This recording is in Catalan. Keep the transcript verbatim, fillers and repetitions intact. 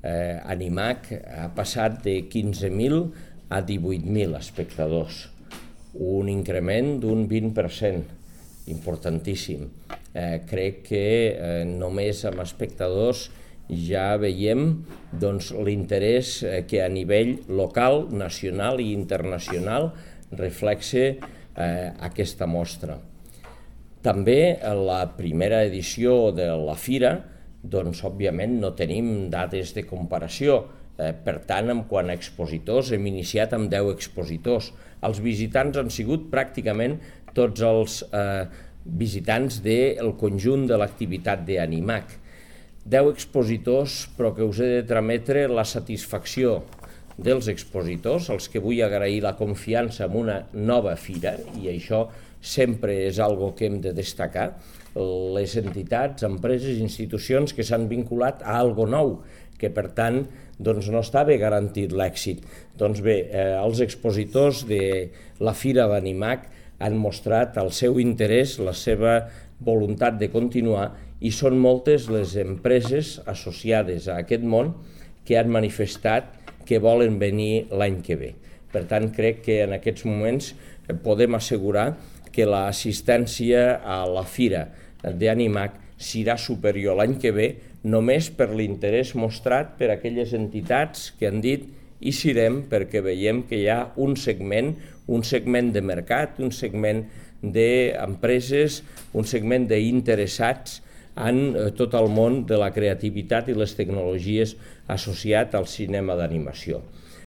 eh, Animac ha passat de quinze mil a divuit mil espectadors, un increment d'un vint per cent, importantíssim. Eh, crec que eh, només amb espectadors ja veiem doncs, l'interès que a nivell local, nacional i internacional reflexa eh, aquesta mostra. També en la primera edició de la Fira, doncs, òbviament, no tenim dades de comparació. Eh, per tant, en quant a expositors, hem iniciat amb deu expositors. Els visitants han sigut pràcticament tots els eh, visitants del conjunt de l'activitat d'Animac. deu expositors, però que us he de trametre la satisfacció dels expositors, als que vull agrair la confiança en una nova fira, i això sempre és algo que hem de destacar, les entitats, empreses i institucions que s'han vinculat a algo nou, que per tant doncs, no estava garantit l'èxit. Doncs bé, eh, els expositors de la Fira d'Animac han mostrat el seu interès, la seva voluntat de continuar, i són moltes les empreses associades a aquest món que han manifestat que volen venir l'any que ve. Per tant, crec que en aquests moments podem assegurar que l'assistència a la Fira d'Animac serà superior l'any que ve només per l'interès mostrat per aquelles entitats que han dit i serem, perquè veiem que hi ha un segment, un segment de mercat, un segment d'empreses, un segment d'interessats en tot el món de la creativitat i les tecnologies associat al cinema d'animació.